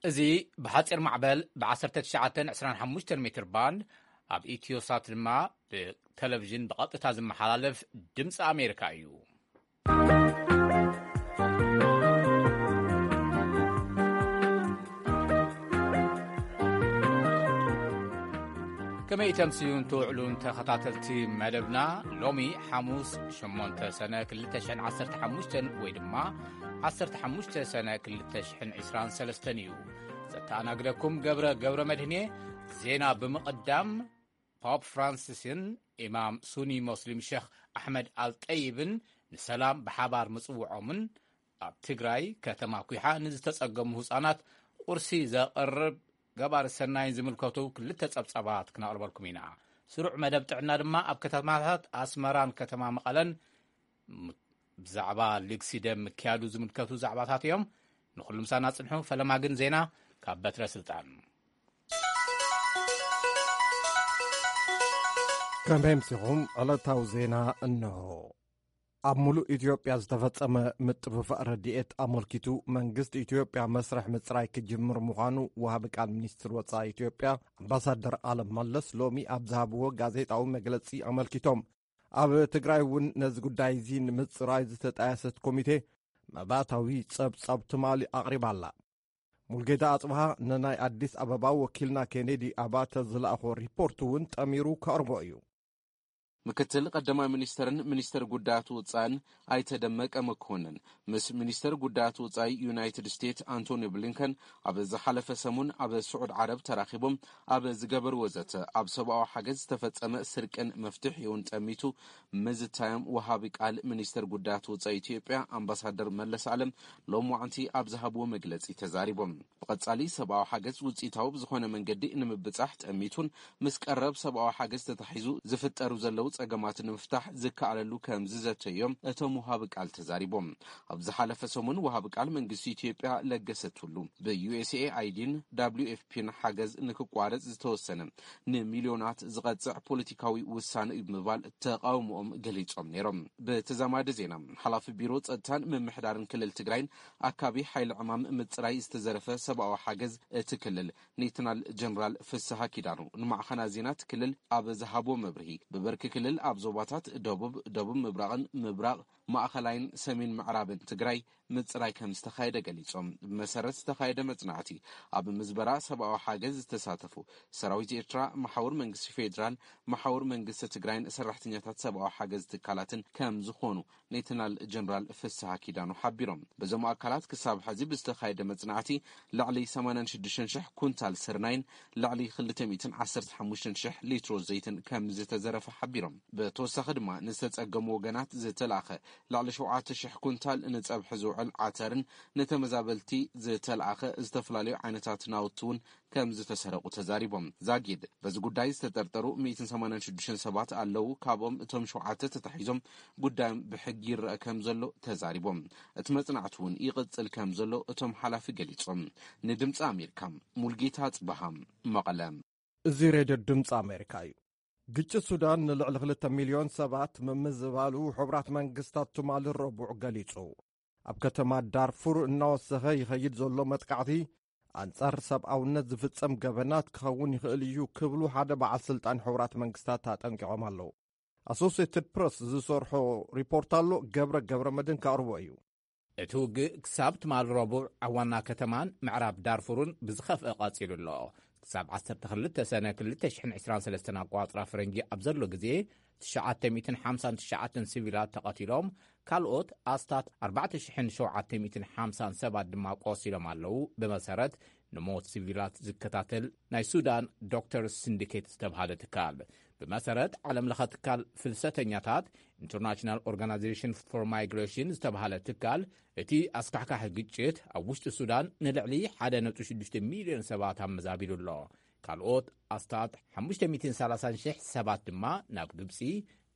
እዚ ብሓጺር ማዕበል ብ19 25 ሜትር ባንድ ኣብ ኢትዮሳት ድማ ብቴሌቪዥን ብቐጥታ ዝመሓላለፍ ድምፂ ኣሜሪካ እዩ። ከመይ ተምስዩን ትውዕሉን ተኸታተልቲ መደብና፣ ሎሚ ሓሙስ ሸሞንተ ሰነ ክልተ ሽሕን ዓሰርተ ሓሙሽተን ወይ ድማ ዓሰርተ ሓሙሽተ ሰነ ክልተ ሽሕን ዕስራን ሰለስተን እዩ። ዘተኣናግደኩም ገብረ ገብረ መድህኔ። ዜና ብምቕዳም፣ ፖፕ ፍራንሲስን ኢማም ሱኒ ሞስሊም ሸኽ ኣሕመድ ኣልጠይብን ንሰላም ብሓባር ምጽውዖምን ኣብ ትግራይ ከተማ ኲሓ ንዝተጸገሙ ህጻናት ቁርሲ ዘቕርብ ገባሪ ሰናይን ዝምልከቱ ክልተ ጸብጻባት ክነቕርበልኩም ኢና። ስሩዕ መደብ ጥዕና ድማ ኣብ ከተማታት ኣስመራን ከተማ መቐለን ም-፣ ብዛዕባ ልግሲ ደም ምክያዱ ዝምልከቱ ዛዕባታት እዮም። ንኹሉ ምሳና ጽንሑ። ፈለማ ግን ዜና ካብ በትረ ስልጣን። ከመይ ኣምሲኹም? ዕለታዊ ዜና እንሆ። ኣብ ሙሉእ ኢትዮጵያ ዝተፈጸመ ምጥፍፋእ ረድኤት ኣመልኪቱ መንግስቲ ኢትዮጵያ መስርሕ ምጽራይ ክጅምር ምዃኑ ወሃቢ ቃል ሚኒስትር ወጻኢ ኢትዮጵያ ኣምባሳደር ኣለም መለስ ሎሚ ኣብ ዝሃብዎ ጋዜጣዊ መግለጺ ኣመልኪቶም። ኣብ ትግራይ እውን ነዚ ጉዳይ እዚ ንምጽራይ ዝተጣየሰት ኮሚቴ መባእታዊ ጸብጻብ ትማሊ ኣቕሪባ ኣላ። ሙልጌታ ኣጽብሃ ንናይ ኣዲስ ኣበባ ወኪልና ኬኔዲ ኣባተ ዝለኣኾ ሪፖርት እውን ጠሚሩ ከቕርቦ እዩ። ምክትል ቀዳማይ ሚኒስተርን ሚኒስተር ጉዳያት ወጻእን ኣይተ ደመቀ መኮንን ምስ ሚኒስተር ጉዳያት ወጻኢ ዩናይትድ ስቴትስ ኣንቶኒ ብሊንከን ኣብ ዝሓለፈ ሰሙን ኣብ ስዑድ ዓረብ ተራኺቦም ኣብ ዝገበርዎ ዘተ፣ ኣብ ሰብኣዊ ሓገዝ ዝተፈጸመ ስርቅን መፍትሒውን ጠሚቱ ምዝታዮም ወሃቢ ቃል ሚኒስተር ጉዳያት ወጻኢ ኢትዮጵያ ኣምባሳደር መለስ ኣለም ሎማዕንቲ ኣብ ዝሃብዎ መግለጺ ተዛሪቦም። ብቐጻሊ ሰብኣዊ ሓገዝ ውጽኢታዊ ብዝኾነ መንገዲ ንምብጻሕ ጠሚቱን ምስ ቀረብ ሰብኣዊ ሓገዝ ተታሒዙ ዝፍጠሩ ዘለዉ ጸገማት ንምፍታሕ ዝከኣለሉ ከም ዝዘተዮም እቶም ወሃቢ ቃል ተዛሪቦም። ኣብ ዝሓለፈ ሰሙን ወሃቢ ቃል መንግስቲ ኢትዮጵያ ለገሰ ቱሉ ብዩኤስኤኣይዲን ደብሊው ኤፍ ፒን ሓገዝ ንክቋረጽ ዝተወሰነ ንሚልዮናት ዝቐጽዕ ፖለቲካዊ ውሳነ እዩ ብምባል ተቃውሞኦም ገሊጾም ነይሮም። ብተዛማዲ ዜና፣ ሓላፊ ቢሮ ጸጥታን ምምሕዳርን ክልል ትግራይን ኣካቢ ሓይሊ ዕማም ምጽራይ ዝተዘረፈ ሰብኣዊ ሓገዝ እቲ ክልል ሌተናል ጀነራል ፍስሃ ኪዳኑ ንማዕኸናት ዜና እቲ ክልል ኣብ ዝሃቦ መብርሂ፣ ብብርኪ ክልል ኣብ ዞባታት ደቡብ፣ ደቡብ ምብራቕን ምብራቕ ማእኸላይን ሰሜን ምዕራብን ትግራይ ምጽራይ ከም ዝተኻየደ ገሊጾም። ብመሰረት ዝተኻየደ መጽናዕቲ፣ ኣብ ምዝበራ ሰብኣዊ ሓገዝ ዝተሳተፉ ሰራዊት ኤርትራ፣ መሓውር መንግስቲ ፌዴራል፣ መሓውር መንግስቲ ትግራይን ሰራሕተኛታት ሰብኣዊ ሓገዝ ትካላትን ከም ዝኾኑ ሌተናል ጀነራል ፍስሃ ኪዳኑ ሓቢሮም። በዞም ኣካላት ክሳብ ሕዚ ብዝተኻየደ መጽናዕቲ ልዕሊ ሰማንያን ሽዱሽተን ሽሕ ኩንታል ስርናይን ልዕሊ ክልተ ሚእትን ዓሰርተ ሓሙሽተን ሽሕ ሊትሮ ዘይትን ከም ዝተዘረፈ ሓቢሮም። ብተወሳኺ ድማ ንዝተጸገሙ ወገናት ዝተላእኸ ልዕሊ ሸውዓተ ሽሕ ኩንታል ንጸብሒ ዝውዕል ዓተርን ንተመዛበልቲ ዝተላእኸ ዝተፈላለዩ ዓይነታት ናውቲ እውን ከም ዝተሰረቑ ተዛሪቦም። ዛጊድ በዚ ጉዳይ ዝተጠርጠሩ ሚእትን ሰማንያን ሽዱሽተን ሰባት ኣለዉ። ካብኦም እቶም ሸውዓተ ተታሒዞም ጉዳዮም ብሕጊ ይረአ ከም ዘሎ ተዛሪቦም። እቲ መጽናዕቲ እውን ይቕጽል ከም ዘሎ እቶም ሓላፊ ገሊጾም። ንድምፂ ኣሜሪካ፣ ሙልጌታ ጽበሃ፣ መቐለ። እዚ ሬድዮ ድምፂ ኣሜሪካ እዩ። ግጭት ሱዳን ንልዕሊ ክልተ ሚልዮን ሰባት ምምዝባሉ ሕቡራት መንግስታት ትማሊ ረቡዕ ገሊጹ። ኣብ ከተማ ዳርፉር እናወሰኸ ይኸይድ ዘሎ መጥቃዕቲ ኣንጻር ሰብኣውነት ዝፍጸም ገበናት ክኸውን ይኽእል እዩ ክብሉ ሓደ በዓል ስልጣን ሕቡራት መንግስታት ኣጠንቂቖም ኣለዉ። ኣሶሲየትድ ፕረስ ዝሰርሖ ሪፖርት ኣሎ፣ ገብረ ገብረ መድን ከቕርቦ እዩ። እቲ ውግእ ክሳብ ትማሊ ረቡዕ ኣብ ዋና ከተማን ምዕራብ ዳርፉርን ብዝኸፍአ ቀጺሉ ኣሎ። ክሳብ ዓሰርተ ክልተ ሰነ ክልተ ሽሕን ዕስራን ሰለስተን ኣቋጽራ ፈረንጂ ኣብ ዘሎ ግዜ፣ ትሽዓተ ሚእትን ሓምሳን ትሽዓተን ሲቪላት ተቐቲሎም፣ ካልኦት ኣስታት ኣርባዕተ ሽሕን ሸውዓተ ሚእትን ሓምሳን ሰባት ድማ ቆሲሎም ኣለዉ። ብመሰረት ንሞት ሲቪላት ዝከታተል ናይ ሱዳን ዶክተርስ ሲንዲኬት ዝተብሃለ ትካል፣ ብመሰረት ዓለም ለኸ ትካል ፍልሰተኛታት፣ ኢንተርናሽናል ኦርጋናይዜሽን ፎር ማይግሬሽን ዝተብሃለ ትካል፣ እቲ ኣስካሕካሒ ግጭት ኣብ ውሽጢ ሱዳን ንልዕሊ ሓደ ነጥቢ ሽዱሽተ ሚልዮን ሰባት ኣመዛቢሉ ኣሎ። ካልኦት ኣስታት ሓሙሽተ ሚእትን ሰላሳን ሽሕ ሰባት ድማ ናብ ግብጺ፣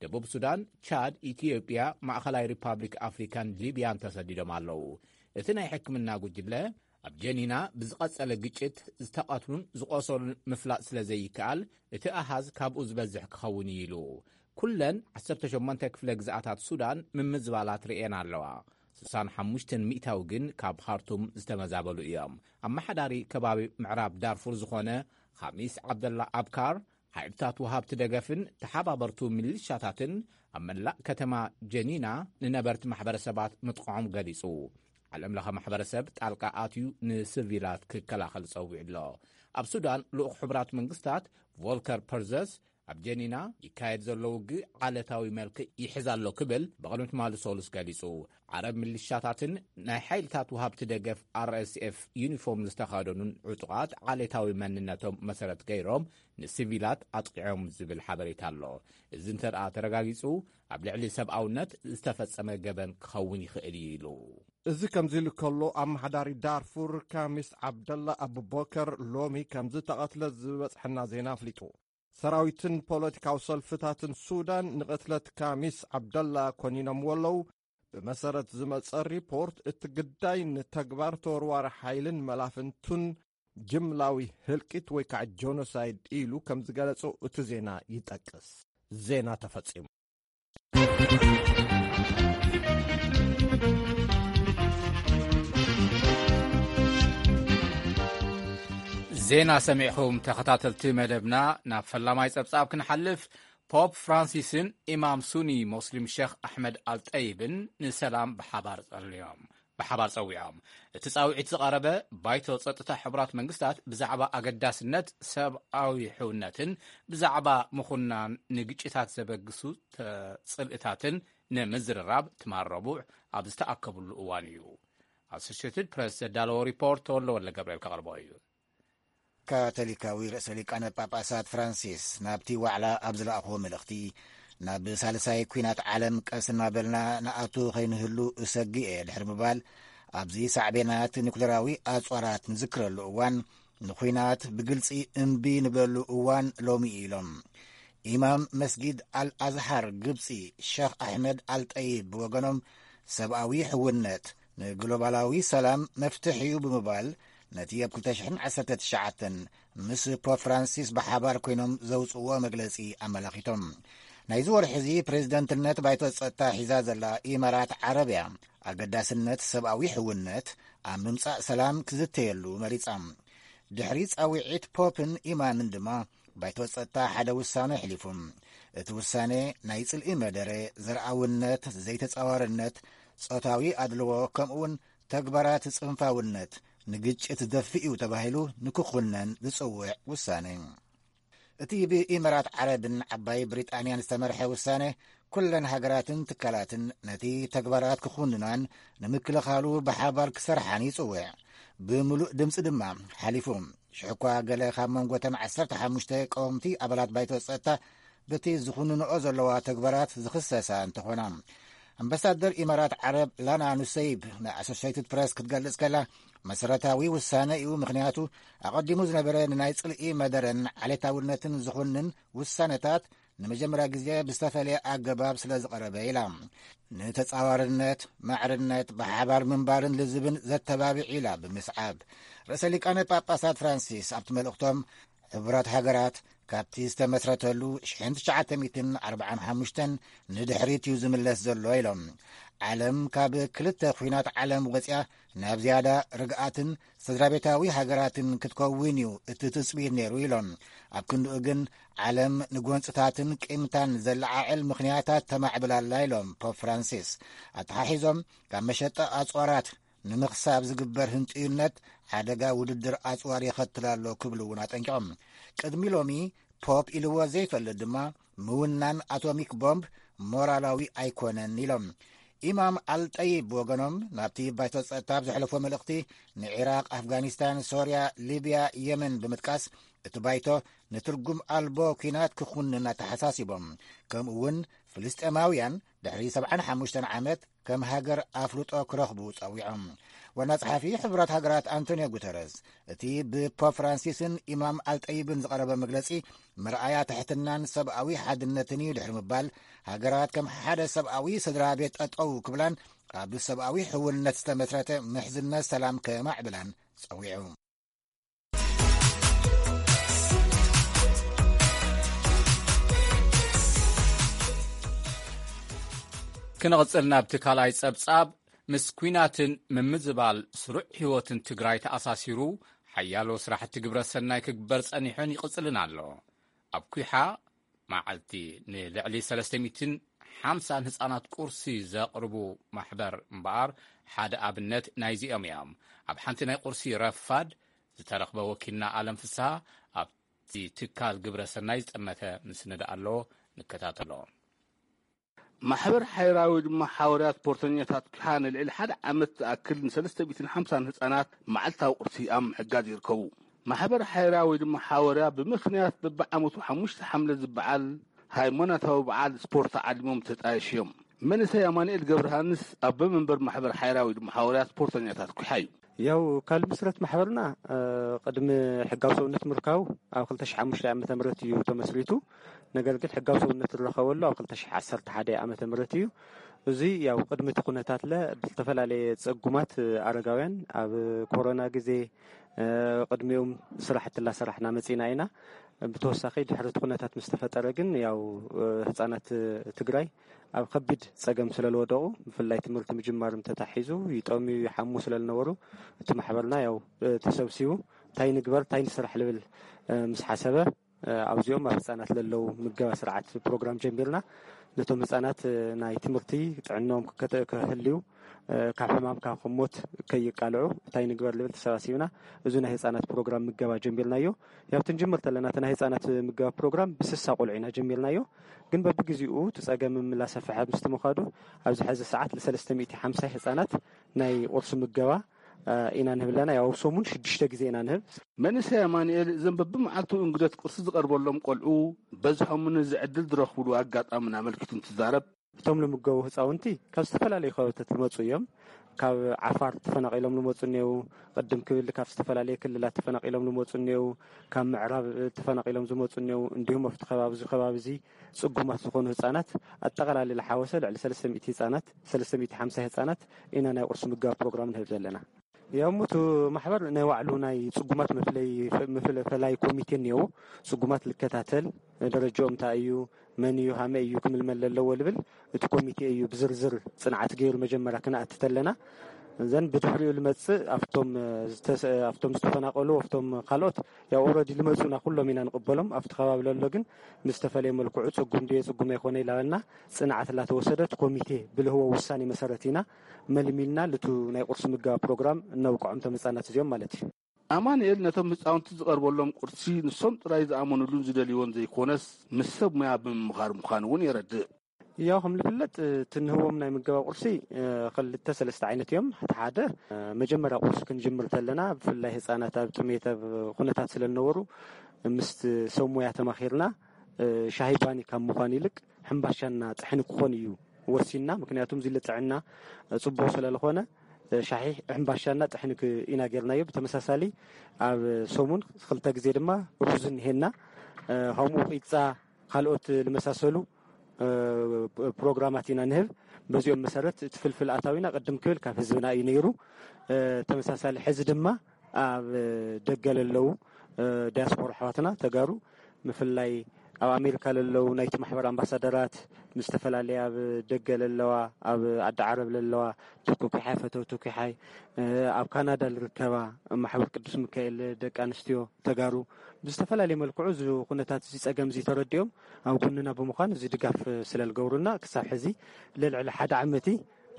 ደቡብ ሱዳን፣ ቻድ፣ ኢትዮጵያ፣ ማእኸላይ ሪፓብሊክ ኣፍሪካን ሊብያን ተሰዲዶም ኣለዉ። እቲ ናይ ሕክምና ጉጅለ፣ ኣብ ጀኒና ብዝቐጸለ ግጭት ዝተቐትሉን ዝቖሰሉን ምፍላጥ ስለ ዘይከኣል፣ እቲ ኣሃዝ ካብኡ ዝበዝሕ ክኸውን እዩ ኢሉ። ኩለን ዓሰርተ ሸሞንተ ክፍለ ግዝኣታት ሱዳን ምምዝባላት ርእየን ኣለዋ። ስሳን ሓሙሽተን ሚእታዊ ግን ካብ ኻርቱም ዝተመዛበሉ እዮም። ኣመሓዳሪ ከባቢ ምዕራብ ዳርፉር ዝኾነ ኻሚስ ዓብደላ ኣብካር፣ ሓይልታት ወሃብቲ ደገፍን ተሓባበርቱ ሚሊሻታትን ኣብ መላእ ከተማ ጀኒና ንነበርቲ ማሕበረሰባት ምጥቕዖም ገሊጹ። ዓለም ለኸ ማሕበረሰብ ጣልቃ ኣትዩ ንስቪላት ክከላኸል ጸዊዑ ኣሎ። ኣብ ሱዳን ልኡኽ ሕቡራት መንግስታት ቮልከር ፐርዘስ ኣብ ጀኒና ይካየድ ዘሎ ውግእ ዓለታዊ መልክዕ ይሕዝ ኣሎ ክብል ብቕድሚ ትማሊ ሰሉስ ገሊጹ። ዓረብ ሚሊሻታትን ናይ ሓይልታት ወሃብቲ ደገፍ ኣር ኤስ ኤፍ ዩኒፎርም ዝተኸደኑን ዕጡቓት ዓሌታዊ መንነቶም መሰረት ገይሮም ንሲቪላት ኣጥቂዖም ዝብል ሓበሬታ ኣሎ። እዚ እንተ ደኣ ተረጋጊጹ፣ ኣብ ልዕሊ ሰብኣውነት ዝተፈጸመ ገበን ክኸውን ይኽእል እዩ ኢሉ። እዚ ከምዚ ኢሉ ከሎ፣ ኣመሓዳሪ ዳርፉር ካሚስ ዓብደላ ኣቡበከር ሎሚ ከም ዝተቐትለ ዝበጽሐና ዜና ኣፍሊጡ። ሰራዊትን ፖለቲካዊ ሰልፍታትን ሱዳን ንቕትለት ካሚስ ዓብደላ ኮኒኖምዎ ኣለዉ። ብመሰረት ዝመጸ ሪፖርት፣ እቲ ግዳይ ንተግባር ተወርዋሪ ሓይልን መላፍንቱን ጅምላዊ ህልቂት ወይ ከዓ ጆኖሳይድ ኢሉ ከም ዝገለጾ እቲ ዜና ይጠቅስ። ዜና ተፈጺሙ። ዜና ሰሚዕኹም ተኸታተልቲ መደብና። ናብ ፈላማይ ጸብጻብ ክንሓልፍ፣ ፖፕ ፍራንሲስን ኢማም ሱኒ ሞስሊም ሸኽ ኣሕመድ ኣልጠይብን ንሰላም ብሓባር ጸልዮም። ብሓባር ጸዊዖም። እቲ ጻውዒት ዝቐረበ፣ ባይቶ ጸጥታ ሕቡራት መንግስታት ብዛዕባ ኣገዳስነት ሰብኣዊ ሕውነትን ብዛዕባ ምኹናን ንግጭታት ዘበግሱ ተ-፣ ጽልእታትን ንምዝርራብ ትማል ረቡዕ ኣብ ዝተኣከብሉ እዋን እዩ። ኣሶሽየትድ ፕረስ ዘዳለዎ ሪፖርት ተወልደ ወልደ ገብርኤል ከቕርቦ እዩ። ካቶሊካዊ ርእሰ ሊቃነ ጳጳሳት ፍራንሲስ ናብቲ ዋዕላ ኣብ ዝለኣኽዎ መልእኽቲ፣ ናብ ሳልሳይ ኲናት ዓለም ቀስ እናበልና ንኣቱ ኸይንህሉ እሰግእ እየ ድሕሪ ምባል፣ ኣብዚ ሳዕቤናት ኒኩሌራዊ ኣጽዋራት ንዝክረሉ እዋን፣ ንኲናት ብግልጺ እምቢ ንብለሉ እዋን ሎሚ እዩ ኢሎም። ኢማም መስጊድ ኣልኣዝሃር ግብጺ ሸኽ ኣሕመድ ኣልጠይብ ብወገኖም፣ ሰብኣዊ ሕውነት ንግሎባላዊ ሰላም መፍትሕ እዩ ብምባል፣ ነቲ ኣብ ክልተ ሽሕን ዓሰርተ ትሽዓተን ምስ ፖፕ ፍራንሲስ ብሓባር ኮይኖም ዘውጽእዎ መግለጺ ኣመላኺቶም። ናይዚ ወርሒ እዚ ፕሬዝደንትነት ባይቶ ጸጥታ ሒዛ ዘላ ኢማራት ዓረብ እያ። ኣገዳስነት ሰብኣዊ ሕውነት ኣብ ምምጻእ ሰላም ክዝተየሉ መሪጻ። ድሕሪ ጻውዒት ፖፕን ኢማምን ድማ፣ ባይቶ ጸጥታ ሓደ ውሳነ ኣሕሊፉ። እቲ ውሳነ፣ ናይ ጽልኢ መደረ፣ ዘርኣውነት፣ ዘይተጻዋርነት፣ ጾታዊ ኣድልዎ፣ ከምኡውን ተግባራት ጽንፋውነት ንግጭት ዝደፍእ እዩ ተባሂሉ ንክኹነን ዝጽውዕ ውሳነ። እቲ ብኢመራት ዓረብን ዓባይ ብሪጣንያን ዝተመርሐ ውሳነ፣ ኩለን ሃገራትን ትካላትን ነቲ ተግባራት ክኹንናን ንምክልኻሉ ብሓባር ክሰርሓን ይጽውዕ። ብምሉእ ድምጺ ድማ ሓሊፉ። ሽሕኳ ገለ ካብ መንጎተን ዓሰርተ ሓሙሽተ ቀወምቲ ኣባላት ባይቶ ጸጥታ በቲ ዝኹንንኦ ዘለዋ ተግባራት ዝኽሰሳ እንተኾና፣ ኣምባሳደር ኢማራት ዓረብ ላና ኑሰይብ ንኣሶሴይትድ ፕረስ ክትገልጽ ከላ፣ መሰረታዊ ውሳነ እዩ፣ ምኽንያቱ ኣቐዲሙ ዝነበረ ንናይ ጽልኢ መደረን ዓሌታውነትን ዝኹንን ውሳነታት ንመጀመርያ ግዜ ብዝተፈለየ ኣገባብ ስለ ዝቐረበ ኢላ። ንተጻዋርነት፣ ማዕርነት፣ ብሓባር ምንባርን ልዝብን ዘተባብዕ ኢላ ብምስዓብ፣ ርእሰ ሊቃነ ጳጳሳት ፍራንሲስ ኣብቲ መልእኽቶም፣ ሕቡራት ሃገራት ካብቲ ዝተመስረተሉ ሽሕን ትሽዓተ ሚእትን ኣርብዓን ሓሙሽተን ንድሕሪት እዩ ዝምለስ ዘሎ ኢሎም። ዓለም ካብ ክልተ ኲናት ዓለም ወጽያ ናብ ዝያዳ ርግኣትን ስድራ ቤታዊ ሃገራትን ክትከውን እዩ እቲ ትጽቢት ነይሩ ኢሎም። ኣብ ክንድኡ ግን ዓለም ንጎንጽታትን ቂምታን ዘለዓዕል ምኽንያታት ተማዕብል ኣላ ኢሎም ፖፕ ፍራንሲስ። ኣተሓሒዞም፣ ካብ መሸጣ ኣጽዋራት ንምኽሳብ ዝግበር ህንጥዩነት ሓደጋ ውድድር ኣጽዋር የኸትል ኣሎ ክብሉ እውን ኣጠንቂቖም። ቅድሚ ሎሚ ፖፕ ኢልዎ ዘይፈልጥ ድማ ምውናን ኣቶሚክ ቦምብ ሞራላዊ ኣይኮነን ኢሎም። ኢማም ኣልጠይብ ብወገኖም ናብቲ ባይቶ ጸጥታ ኣብ ዘሕለፎ መልእኽቲ፣ ንዒራቕ፣ ኣፍጋኒስታን፣ ሶርያ፣ ሊብያ፣ የመን ብምጥቃስ፣ እቲ ባይቶ ንትርጉም ኣልቦ ኲናት ክኹንን ኣተሓሳሲቦም። ከምኡ እውን ፍልስጤማውያን ድሕሪ ሰብዓን ሓሙሽተን ዓመት ከም ሃገር ኣፍልጦ ክረኽቡ ጸዊዖም። ዋና ጸሓፊ ሕቡራት ሃገራት ኣንቶኒዮ ጉተረዝ፣ እቲ ብፖፕ ፍራንሲስን ኢማም ኣልጠይብን ዝቐረበ መግለጺ መርኣያ ትሕትናን ሰብኣዊ ሓድነትን እዩ ድሕሪ ምባል፣ ሃገራት ከም ሓደ ሰብኣዊ ስድራ ቤት ጠጠው ክብላን ኣብ ሰብኣዊ ሕውነት ዝተመስረተ ምሕዝነት ሰላም ከማዕብላን ጸዊዑ። ክንቕጽል ናብቲ ካልኣይ ጸብጻብ። ምስ ኲናትን ምምዝባል ስሩዕ ህይወትን ትግራይ ተኣሳሲሩ ሓያሎ ስራሕቲ ግብረ ሰናይ ክግበር ጸኒሑን ይቕጽልን ኣሎ። ኣብ ኲሓ መዓልቲ ንልዕሊ ሰለስተ ሚእትን ሓምሳን ህጻናት ቁርሲ ዘቕርቡ ማሕበር እምበኣር ሓደ ኣብነት ናይዚኦም እዮም። ኣብ ሓንቲ ናይ ቁርሲ ረፋድ ዝተረኽበ ወኪልና ኣለም ፍስሃ ኣብቲ ትካል ግብረ ሰናይ ዝጠመተ ምስንዳ ኣሎ። ንከታተሎ። ማሕበር ሓይራ ወይ ድማ ሓወርያ ስፖርተኛታት ኪሓ ንልዕሊ ሓደ ዓመት ዝኣክል ንሰለስተ ሚእትን ሓምሳን ህጻናት መዓልታዊ ቁርሲ ኣብ ምሕጋዝ ይርከቡ። ማሕበር ሓይራ ወይ ድማ ሓወርያ ብምኽንያት በብዓመቱ ሓሙሽተ ሓምለ ዝበዓል ሃይማኖታዊ በዓል ስፖርት ዓሊሞም ተጣየሽ እዮም። መንእሰይ ኣማኑኤል ገብረሃንስ ኣቦ መንበር ማሕበር ሓይራ ወይ ድማ ሓወርያ ስፖርተኛታት ኪሓ እዩ። ያው ካልእ ምስረት ማሕበርና፣ እ፣ ቅድሚ ሕጋዊ ሰውነት ምርካቡ ኣብ ክልተ ሽሕ ሓሙሽተ ዓመተ ምህረት እዩ ተመስሪቱ። ነገር ግን ሕጋዊ ሰውነት ዝረኸበሉ ኣብ ክልተ ሽሕ ዓሰርተ ሓደ ዓመተ ምህረት እዩ። እዚ ያው ቅድሚ እቲ ኩነታት ለ ብዝተፈላለየ ጸጉማት ኣረጋውያን ኣብ ኮሮና ግዜ፣ እ፣ ቅድሚኦም ስራሕቲ እናሰራሕና መጺና ኢና። ብተወሳኺ ድሕሪ እቲ ኩነታት ምስ ተፈጠረ ግን ያው፣ እ፣ ህጻናት ትግራይ ኣብ ከቢድ ጸገም ስለ ዝወደቑ ብፍላይ ትምህርቲ ምጅማርም ተታሒዙ ይጠምዩ ይሓሙ ስለ ዝነበሩ እቲ ማሕበርና ያው፣ እ፣ ተሰብሲቡ እንታይ ንግበር እንታይ ንስራሕ ልብል፣ እ፣ ምስ ሓሰበ፣ እ፣ ኣብዚኦም ኣብ ህጻናት ለለው ምገባ ስርዓት ፕሮግራም ጀሚርና። ነቶም ህጻናት፣ እ፣ ናይ ትምህርቲ ጥዕናኦም ክከተ-፣ ክህልዩ፣ እ፣ ካብ ሕማም ካብ ሞት ከይቃልዑ እንታይ ንግበር ልብል ተሰባሲብና። እዚ ናይ ህጻናት ፕሮግራም ምገባ ጀሚርናዮ። ያው ትንጅምር ተለና እቲ ናይ ህጻናት ምገባ ፕሮግራም ብስሳ ቆልዑ ኢና ጀሚርናዮ። ግን በብግዜኡ እቲ ጸገም እናሰፍሐ ምስ ምኻዱ ኣብዚ ሐዚ ሰዓት ለ ሰለስተ ሚእቲ ሓምሳ ህጻናት ናይ ቁርሲ ምገባ፣ እ፣ ኢና ንህብ ኣለና። ያው ኣብ ሰሙን ሽዱሽተ ግዜ ኢና ንህብ። መንእሰይ ኣማኑኤል እዞም በብመዓልቱ እንግደት ቁርሲ ዝቐርበሎም ቆልዑ በዝሖም ነዚ ዕድል ዝረኽብሉ ኣጋጣሚ ኣመልኪቱ እንትዛረብ፣ እቶም ልምገቡ ህጻውንቲ ካብ ዝተፈላለዩ ከባብታት ዝመጹ እዮም። ካብ ዓፋር ተፈናቒሎም ዝመጹ እኔው፣ ቅድም ክብል ካብ ዝተፈላለዩ ክልላት ተፈናቒሎም ዝመጹ እኔው፣ ካብ ምዕራብ ተፈናቒሎም ዝመጹ እኔው፣ እንዲሁም ኣብቲ ከባቢ እዚ ከባቢ እዚ ጽጉማት ዝኾኑ ህጻናት ኣጠቓላሊ ዝሓወሰ ልዕሊ ሰለስተ ሚእቲ ህጻናት፣ ሰለስተ ሚእቲ ሓምሳ ህጻናት ኢና ናይ ቁርሲ ምገባ ፕሮግራም ንህብ ዘለና። ያው ሙቱ ማሕበር ናይ ባዕሉ ናይ ጽጉማት መፍለይ፣ መፍለ-፣ ፈላይ ኮሚቴ እኒኦ። ጽጉማት ልከታተል፣ ደረጃኦም እንታይ እዩ፣ መን እዩ፣ ሃመይ እዩ ክምልመል ዘለዎ ልብል እቲ ኮሚቴ እዩ ብዝርዝር ጽንዓት ገይሩ መጀመርያ ክነኣቲ ተለና። ዘን ብድሕሪኡ ልመጽእ ኣብቶም፣ ዝተሰ-፣ ኣብቶም ዝተፈናቀሉ፣ ኣብቶም ካልኦት ያው ኦልሬዲ ልመጹና ኩሎም ኢና ንቕበሎም። ኣብቲ ከባቢ ለሎ ግን ብዝተፈለየ መልክዑ ጽጉም ድዮ ጽጉም ኣይኮነ ኢላበልና ጽንዓት ላተወሰደት ኮሚቴ ብልህቦ ውሳኔ መሰረት ኢና መልሚልና ልቱ ናይ ቁርሲ ምገባ ፕሮግራም እነብቅዖም ተመጻናት እዚኦም ማለት እዩ። ኣማኑኤል ነቶም ህጻውንቲ ዝቐርበሎም ቁርሲ ንሶም ጥራይ ዝኣመኑሉን ዝደልይዎን ዘይኮነስ ምስ ሰብ ሙያ ብምምኻር ምዃኑ እውን የረድእ። ያው ከም ዝፍለጥ እቲ ንህቦም ናይ ምገባ ቁርሲ፣ እ፣ ክልተ ሰለስተ ዓይነት እዮም። እቲ ሓደ፣ እ፣ መጀመርያ ቁርሲ ክንጅምር ተለና ብፍላይ ህጻናት ኣብ ጥሜት ኣብ ኩነታት ስለ ዝነበሩ ምስ ሰብ ሙያ ተማኺርና፣ እ፣ ሻሂ ባኒ ካብ ምዃን ይልቅ ሕምባሻና ጥሕኒ ክኾን እዩ ወሲንና። ምክንያቱም እዚ ልጥዕና፣ እ፣ ጽቡቕ ስለ ዝኾነ፣ እ፣ ሻሂ ሕምባሻና ጥሕኒ ክ-፣ ኢና ጌርናዮ። ብተመሳሳሊ ኣብ ሰሙን ክልተ ግዜ ድማ ሩዝ እንሄና። እ፣ ከምኡ ቂጻ ካልኦት ዝመሳሰሉ፣ እ፣ ፕሮግራማት ኢና ንህብ። በዚኦም መሰረት እቲ ፍልፍል ኣታዊና ቅድም ክብል ካብ ህዝብና እዩ ነይሩ። እ፣ ተመሳሳሊ ሕዚ ድማ ኣብ ደገ ለለዉ፣ እ፣ ዲያስፖራ ኣሕዋትና ተጋሩ፣ ብፍላይ ኣብ ኣሜሪካ ለለዉ ናይቲ ማሕበር ኣምባሳደራት፣ ምስ ዝተፈላለያ ኣብ ደገ ለለዋ፣ ኣብ ዓዲ ዓረብ ለለዋ፣ ተኩኪሓይ ፈተው ተኩኪሓይ፣ እ፣ ኣብ ካናዳ ዝርከባ ማሕበር ቅዱስ ሚካኤል ደቂ ኣንስትዮ ተጋሩ፣ ብዝተፈላለየ መልክዑ እዚ ኩነታት እዚ ጸገም እዚ ተረዲኦም ኣብ ጎንና ብምዃን እዚ ድጋፍ ስለ ዝገብሩና ክሳብ ሕዚ ልዕሊ ሓደ ዓመቲ፣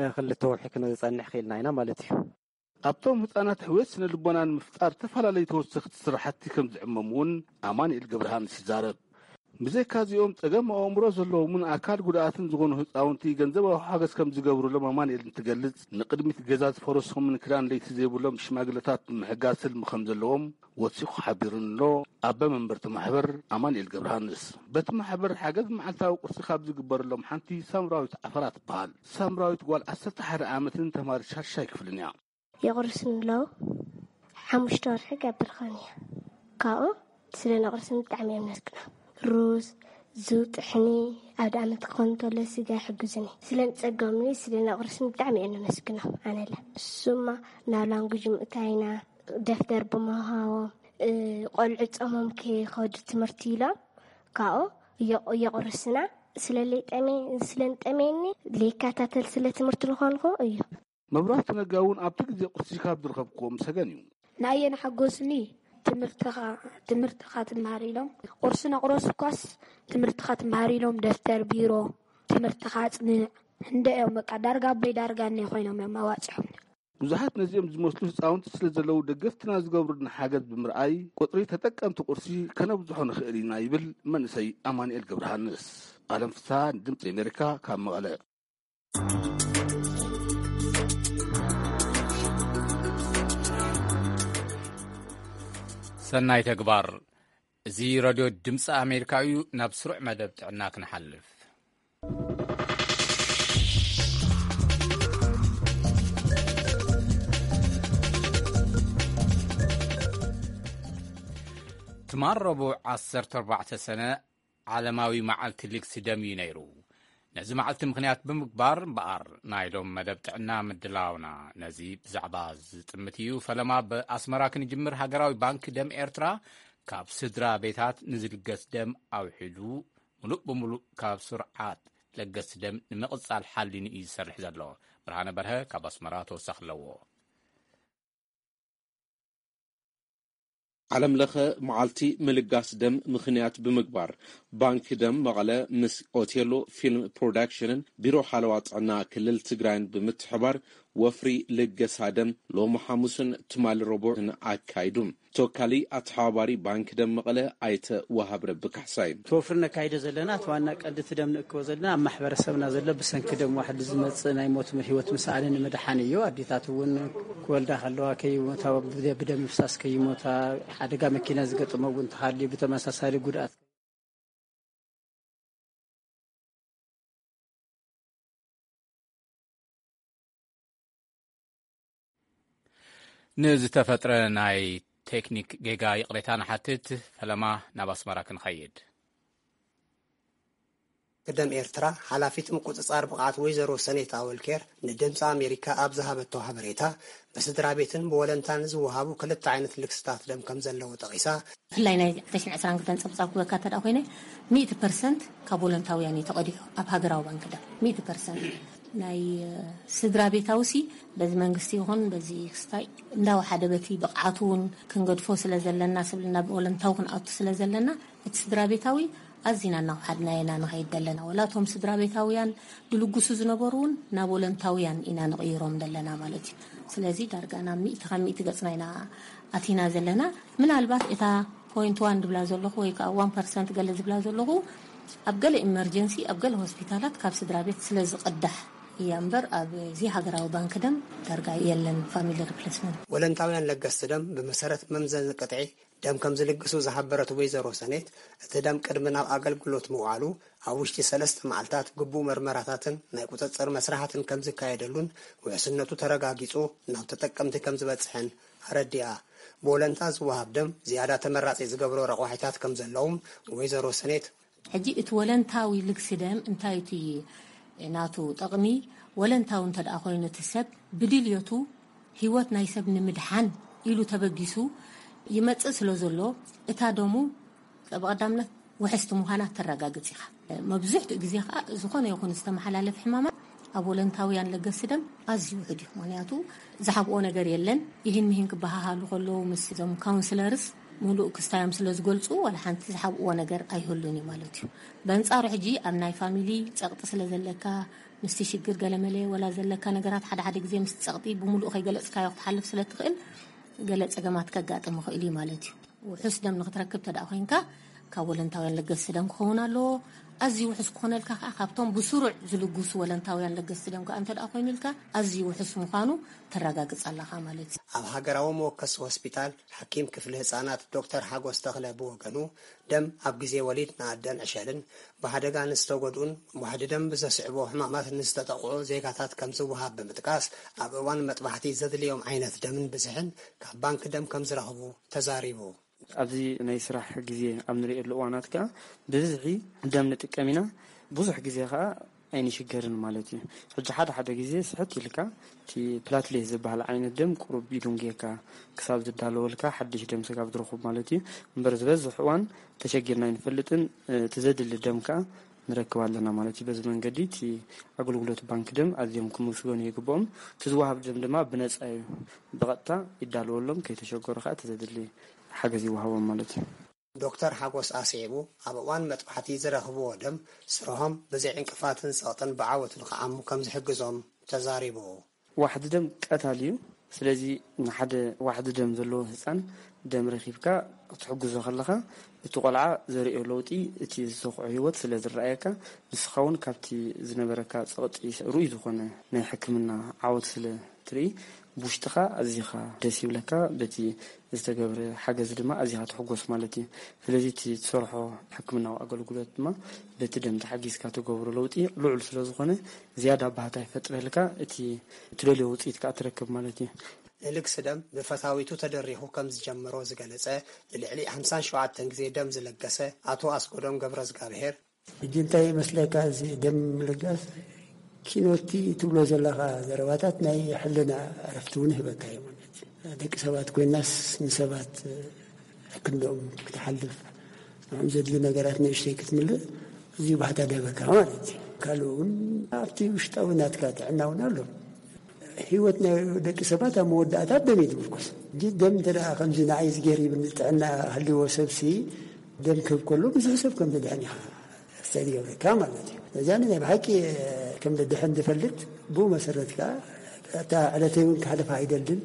እ፣ ክልተ ወርሒ ክንጸንሕ ክኢልና ኢና ማለት እዩ። ኣብቶም ህጻናት ሕውየት ስነ ልቦና ንምፍጣር ዝተፈላለዩ ተወሰኽቲ ስራሕቲ ከም ዝዕመሙ እውን ኣማኑኤል ገብረሃንስ ይዛረብ። ብዘይካ እዚኦም ጸገም ኣእምሮ ዘለዎምን ኣካል ጉድኣትን ዝኾኑ ህጻውንቲ ገንዘባዊ ሓገዝ ከም ዝገብሩሎም ኣማኑኤል እንትገልጽ፣ ንቅድሚት ገዛ ዝፈረሶምን ክዳን ለይቲ ዘይብሎም ሽማግለታት ንምሕጋዝ ህልሚ ከም ዘለዎም ወሲኹ ሓቢሩን ኣሎ። ኣቦ መንበርቲ ማሕበር ኣማኑኤል ገብረሃንስ በቲ ማሕበር ሓገዝ መዓልታዊ ቁርሲ ካብ ዝግበረሎም ሓንቲ ሳምራዊት ዓፈራ ትበሃል። ሳምራዊት ጓል ዓሰርተ ሓደ ዓመትን ተማሪ ሻድሻይ ክፍልን እያ። የቑርስኒ ኣለዉ። ሓሙሽተ ወርሒ ገብር ኾን እያ። ካብኡ ስለ ነቑርስኒ ብጣዕሚ እዮም ነስክኖም። ሩዝ፣ ዙ፣ ጥሕኒ፣ ኣብ ደኣመት ክኾን እንተሎ ስጋ ይሕግዙኒ። ስለ ንጸገምኒ ስለ ነቑርስኒ ብጣዕሚ እዮም ነመስግኖም። ኣነለ እሱማ ናብ ላንጉጅ ምእታይና፣ ደፍተር ብምሃቦም፣ እ፣ ቆልዑ ጾሞም ከይኸዱ ትምህርቲ ኢሎም ካብኡ እየቑ-፣ እየቑርስና። ስለ ለይጠሜ-፣ ስለ ንጠሜኒ ለይከታተል ስለ ትምህርቲ ዝኾንኩ እዩ። መብራህቱ ነጋ እውን ኣብቲ ግዜ ቁርሲ ካብ ዝረኸብክዎም ሰገን እዩ። ንኣየ ንሓጎስኒ ትምህርትኻ ትምህርትኻ ትምሃር ኢሎም፣ ቁርሲ ነቑረሱ እኳስ ትምህርትኻ ትምሃር ኢሎም፣ ደፍተር፣ ቢሮ፣ ትምህርትኻ ኣጽንዕ፣ እንደ እዮም በቃ ዳርጋ ኣቦይ ዳርጋ እነ ኮይኖም እዮም ኣዋጺሖም። ብዙሓት ነዚኦም ዝመስሉ ህፃውንቲ ስለ ዘለዉ ደገፍትና ዝገብሩልና ሓገዝ ብምርኣይ ቁፅሪ ተጠቀምቲ ቁርሲ ከነብዝሖ ንኽእል ኢና ይብል መንእሰይ ኣማኑኤል ገብረሃንስ። ኣለም ፍስሃ፣ ድምፂ ኣሜሪካ፣ ካብ መቐለ። ሰናይ ተግባር። እዚ ረድዮ ድምፂ ኣሜሪካ እዩ። ናብ ስሩዕ መደብ ጥዕና ክንሓልፍ። ትማል ረቡዕ ዓሰርተ ኣርባዕተ ሰነ ዓለማዊ መዓልቲ ልግሲ ደም እዩ ነይሩ። ነዚ መዓልቲ ምኽንያት ብምግባር እምበኣር ናይ ሎም መደብ ጥዕና ምድላውና ነዚ ብዛዕባ ዝጥምት እዩ። ፈለማ ብኣስመራ ክንጅምር፣ ሃገራዊ ባንክ ደም ኤርትራ ካብ ስድራ ቤታት ንዝልገስ ደም ኣውሒዱ ምሉእ ብምሉእ ካብ ስርዓት ለገስቲ ደም ንምቕጻል ሓሊኑ እዩ ዝሰርሕ ዘሎ። ብርሃነ በርሀ ካብ ኣስመራ ተወሳኺ ኣለዎ። ዓለም ለኸ መዓልቲ ምልጋስ ደም ምኽንያት ብምግባር፣ ባንክ ደም መቐለ ምስ ኦቴሎ ፊልም ፕሮዳክሽንን ቢሮ ሓለዋ ጥዕና ክልል ትግራይን ብምትሕባር ወፍሪ ልገሳ ደም ሎሚ ሓሙስን ትማሊ ረቡዕን ኣካይዱ። ተወካሊ ኣተሓባባሪ ባንክ ደም መቐለ ኣይተ ወሃብ ረቢ ካሕሳይ። እቲ ወፍሪ ነካይዶ ዘለና፣ እቲ ዋና ቀንዲ እቲ ደም ንእክቦ ዘለና ኣብ ማሕበረሰብና ዘሎ ብሰንኪ ደም ዋሕዲ ዝመጽእ ናይ ሞት ህይወት ምስኣንን ንምድሓን እዩ። ኣዴታት እውን ክወልዳ ከለዋ ከይሞታ፣ ብደ-፣ ብደም ምፍሳስ ከይሞታ፣ ሓደጋ መኪና ዝገጥሞ እውን እንተሃልዩ ብተመሳሳሊ ጉድኣት ንዝተፈጥረ ናይ ቴክኒክ ጌጋ ይቕሬታ ንሓትት። ፈለማ ናብ ኣስመራ ክንኸይድ። ቅደም ኤርትራ ሓላፊት ምቁጽጻር ብቕዓት ወይዘሮ ሰኔት ኣወልኬር ንድምፂ ኣሜሪካ ኣብ ዝሃበቶ ሓበሬታ፣ ብስድራ ቤትን ብወለንታን ዝወሃቡ ክልተ ዓይነት ልግስታት ደም ከም ዘለዉ ጠቒሳ። ብፍላይ ናይ ክልተ ሽሕን ዕስራን ክልተን ጸብጻብ ክበካ እንተ ደኣ ኮይነ፣ ሚእቲ ፐርሰንት ካብ ወለንታውያን እዩ ተቐዲሑ ኣብ ሃገራዊ ባንክ ደም። ሚእቲ ፐርሰንት ናይ፣ እ፣ ስድራ ቤታዊ ሲ በዚ መንግስቲ ይኹን በዚ ክስታይ እንዳወሓደ በቲ ብቕዓቱ እውን ክንገድፎ ስለ ዘለና፣ ስብል ናብ ወለንታዊ ክንኣቱ ስለ ዘለና፣ እቲ ስድራ ቤታዊ ኣዚና እናወሓድናዮ ኢና ንኸይድ ዘለና። ወላ እቶም ስድራ ቤታውያን ድልጉሱ ዝነበሩ እውን ናብ ወለንታውያን ኢና ንቕይሮም ዘለና ማለት እዩ። ስለዚ ዳርጋ ናብ ሚእቲ ካብ ሚእቲ ገጽና ኢና ኣቲና ዘለና። ምናልባት እታ ፖይንት ዋን ድብላ ዘለኹ ወይ ከዓ ዋን ፐርሰንት ገለ ዝብላ ዘለኹ ኣብ ገለ ኢመርጀንሲ፣ ኣብ ገለ ሆስፒታላት ካብ ስድራ ቤት ስለ ዝቕዳሕ እያ እምበር፣ ኣብዚ ሃገራዊ ባንክ ደም ዳርጋ የለን ፋሚሊ ሪፕሌስመንት። ወለንታውያን ለገስቲ ደም ብመሰረት መምዘኒ ቅጥዒ ደም ከም ዝልግሱ ዝሓበረት ወይዘሮ ሰኔት፣ እቲ ደም ቅድሚ ናብ ኣገልግሎት ምውዓሉ ኣብ ውሽጢ ሰለስተ መዓልታት ግቡእ መርመራታትን ናይ ቁጽጽር መስርሓትን ከም ዝካየደሉን ውሕስነቱ ተረጋጊጹ ናብ ተጠቀምቲ ከም ዝበጽሕን ኣረዲኣ። ብወለንታ ዝወሃብ ደም ዝያዳ ተመራጺ ዝገብሮ ረቋሒታት ከም ዘለዎም ወይዘሮ ሰኔት። ሕጂ እቲ ወለንታዊ ልግሲ ደም እንታይ እቲ ናቱ ጠቕሚ? ወለንታዊ እንተ ደኣ ኮይኑ፣ እቲ ሰብ ብድልየቱ ህይወት ናይ ሰብ ንምድሓን ኢሉ ተበጊሱ ይመጽእ ስለ ዘሎ፣ እታ ደሙ ብቐዳምነት ውሕስቲ ምዃና ተረጋግጽ ኢኻ። መብዝሕትኡ ግዜ ከኣ ዝኾነ ይኹን ዝተመሓላለፍ ሕማማት ኣብ ወለንታውያን ለገስቲ ደም ኣዝዩ ውሑድ እዩ። ምኽንያቱ ዝሓብኦ ነገር የለን። ይህን ምሂን ክበሃሃሉ ከለዉ ምስ እዞም ካውንስለርስ ምሉእ ክስታዮም ስለ ዝገልጹ፣ ዋላ ሓንቲ ዝሓብእዎ ነገር ኣይህሉን እዩ ማለት እዩ። በንጻሩ ሕጂ ኣብ ናይ ፋሚሊ ጸቕጢ ስለ ዘለካ፣ ምስቲ ሽግር ገለመለ ወላ ዘለካ ነገራት ሓደ ሓደ ግዜ ምስቲ ጸቕጢ ብምሉእ ከይገለጽካዮ ክትሓልፍ ስለ ትኽእል፣ ገለ ጸገማት ከጋጥም ይኽእል እዩ ማለት እዩ። ውሑስ ደም ንክትረክብ ተደኣ ኮይንካ፣ ካብ ወለንታውያን ለገስቲ ደም ክኸውን ኣለዎ። ኣዝዩ ውሑስ ክኾነልካ ከኣ፣ ካብቶም ብስሩዕ ዝልግሱ ወለንታውያን ለገስቲ ደም ከኣ እንተ ደኣ ኮይኑልካ፣ ኣዝዩ ውሑስ ምዃኑ ተረጋግጽ ኣለኻ ማለት እዩ። ኣብ ሃገራዊ መወከሲ ሆስፒታል፣ ሓኪም ክፍሊ ህጻናት ዶክተር ሓጎስ ተኽለ ብወገኑ፣ ደም ኣብ ግዜ ወሊድ ንኣደን ዕሸልን፣ ብሓደጋ ንዝተጎድኡን ዋሕዲ ደም ብዘስዕቦ ሕማማት ንዝተጠቕዑ ዜጋታት ከም ዝወሃብ ብምጥቃስ፣ ኣብ እዋን መጥባሕቲ ዘድልዮም ዓይነት ደምን ብዝሕን ካብ ባንክ ደም ከም ዝረኽቡ ተዛሪቡ። ኣብዚ ናይ ስራሕ ግዜ ኣብ ንርእየሉ እዋናት ከኣ ብብዝሒ ደም ንጥቀም ኢና። ብዙሕ ግዜ ከኣ ኣይንሽገርን ማለት እዩ። ሕጂ ሓደ ሓደ ግዜ ስሕት ኢልካ እቲ ፕላትሌት ዝበሃል ዓይነት ደም ቁሩብ ይድንጉየካ ክሳብ ዝዳለወልካ ሓድሽ ደም ስጋብ ዝረኽብ ማለት እዩ። እምበር ዝበዝሕ እዋን ተሸጊርና ኣይንፈልጥን። እቲ ዘድሊ ደም ከኣ ንረክብ ኣለና ማለት እዩ። በዚ መንገዲ እቲ ኣገልግሎት ባንክ ደም ኣዝዮም ክምስገኑ ይግብኦም። እቲ ዝወሃብ ደም ድማ ብነጻ እዩ፣ ብቐጥታ ይዳለወሎም፣ ከይተሸገሩ ከዓ እቲ ዘድሊ ሓገዝ ይወሃቦም ማለት እዩ። ዶክተር ሓጎስ ኣስዒቡ፣ ኣብ እዋን መጥባሕቲ ዝረኽብዎ ደም ስርሖም ብዘይ ዕንቅፋትን ጸቕጥን ብዓወት ንክዓሙ ከም ዝሕግዞም ተዛሪቡ። ዋሕዲ ደም ቀታሊ እዩ። ስለዚ ንሓደ ዋሕዲ ደም ዘለዎ ህፃን ደም ረኪብካ ክትሕግዞ ከለካ፣ እቲ ቆልዓ ዘርእዮ ለውጢ፣ እቲ ዝተኽዖ ህይወት ስለ ዝረኣየካ፣ ንስኻ እውን ካብቲ ዝነበረካ ፀቕጢ ርኡይ ዝኾነ ናይ ሕክምና ዓወት ስለ ትርኢ፣ ብውሽጥኻ ኣዚኻ ደስ ይብለካ። በቲ ዝተገብረ ሓገዝ ድማ ኣዚኻ ትሕጎስ ማለት እዩ። ስለዚ እቲ ትሰርሖ ሕክምናዊ ኣገልግሎት ድማ በቲ ደም ተሓጊዝካ ትገብሮ ለውጢ ልዑል ስለ ዝኾነ፣ ዝያዳ ባህታ ይፈጥረልካ። እቲ ትደልዮ ውፅኢት ከዓ ትረክብ ማለት እዩ። ንልግሲ ደም ብፈታዊቱ ተደሪኹ ከም ዝጀመሮ ዝገለጸ፣ ንልዕሊ ሓምሳን ሸውዓተን ግዜ ደም ዝለገሰ ኣቶ ኣስጎዶም ገብረዝጋብሄር፣ ሕጂ እንታይ ይመስለካ፣ እዚ ደም ምልጋስ ኪኖቲ ትብሎ ዘለኻ ዘረባታት ናይ ሕልና ዕረፍቲ እውን ይህበካ እዩ ማለት እዩ። ደቂ ሰባት ኮይናስ ንሰባት ክንድኦም ክትሓልፍ፣ ንዕም ዘድሊ ነገራት ንእሽተይ ክትምልእ፣ እዚ ባህታ ደበካ ማለት እዩ። ካልኡ እውን ኣብቲ ውሽጣዊ ናትካ ጥዕና እውን ኣሎ። ህይወት ናይ ደቂ ሰባት ኣብ መወዳእታ ደም እዩ ዝምርኮስ። ሕጂ ደም እንተ ደኣ ከምዚ ንዓይ ዝገይር ይብል ጥዕና ሃልዎ ሰብሲ፣ ደም ክህብ ከሎ ብዙሕ ሰብ ከም ዝድሕን ኢኻ ስተዲ ገብረካ ማለት እዩ። ነዛ ናይ ብሓቂ ከም ዝድሕን ዝፈልጥ፣ ብኡ መሰረት ከኣ እታ ዕለተይ እውን ክሓልፋ ኣይደልን።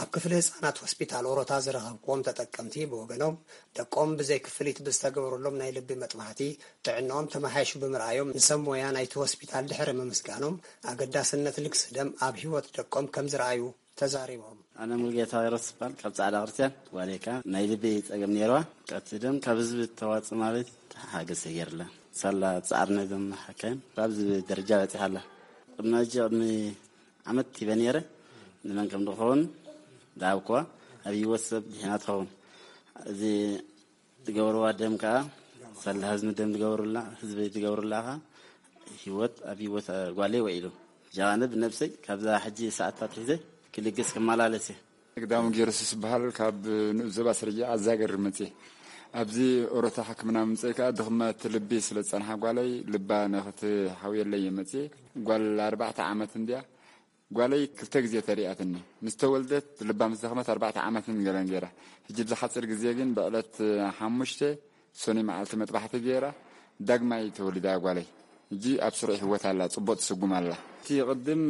ኣብ ክፍሊ ህጻናት ሆስፒታል ኦሮታ ዝረኸብክዎም ተጠቀምቲ ብወገኖም፣ ደቆም ብዘይ ክፍሊት ብዝተገበረሎም ናይ ልቢ መጥባሕቲ ጥዕንኦም ተመሓይሹ ብምርኣዮም፣ ንሰብ ሞያ ናይቲ ሆስፒታል ድሕሪ ምምስጋኖም፣ ኣገዳስነት ልግሲ ደም ኣብ ህይወት ደቆም ከም ዝረኣዩ ተዛሪቦም። ኣነ ሙሉጌታ ይረስባል ካብ ጻዕዳ ክርስቲያን ዋሌካ ናይ ልቢ ጸገም ነይርዋ። ቀቲ ደም ካብ ህዝቢ ተዋጽእ ማለት ሓገዝ ተገይርላ። ሳላ ጻዕርነ ደም ሓካይም ካብዚ ደረጃ በጺሓ ኣላ። ቅድሚ ሕጂ ቅድሚ ዓመት ሂበ ነይረ። ንመን ከም ዝኸውን ዝሃብክዋ ኣብ ህይወት ሰብ ድሒና ትኸውን። እዚ ዝገብርዋ ደም ከዓ ሳላ ህዝቢ ደም ዝገብሩላ፣ ህዝቢ ዝገብሩላ ከዓ ህይወት ኣብ ህይወት ጓለይ ውዒሉ። ጃዋነ ብነብሰይ ካብዛ ሕጂ ሰዓት ኣትሒዘ ክልግስ ክመላለስ እየ። ግዳሙ ጊዮርጊስ ዝበሃል ካብ ንኡስ ዞባ ስርጅ ኣዛገር መጽየ። ኣብዚ ኦሮታ ሕክምና ምምጸይ ከኣ ድኽመት ልቢ ስለ ዝጸንሓ ጓለይ ልባ ንኽትሓውየለይ እየ መጽየ። ጓል ኣርባዕተ ዓመት እንድያ። ጓለይ ክልተ ግዜ ተሪኣትኒ። ምስ ተወልደት ልባ ምስ ደኽመት ኣርባዕተ ዓመትን ገለን ገይራ። ሕጂ ብዝሓጽር ግዜ ግን ብዕለት ሓሙሽተ ሰኑይ መዓልቲ መጥባሕቲ ገይራ ዳግማይ ተወሊዳ ጓለይ። ሕጂ ኣብ ስሩዕ ህይወት ኣላ፣ ጽቡቕ ትስጉም ኣላ። እቲ ቅድም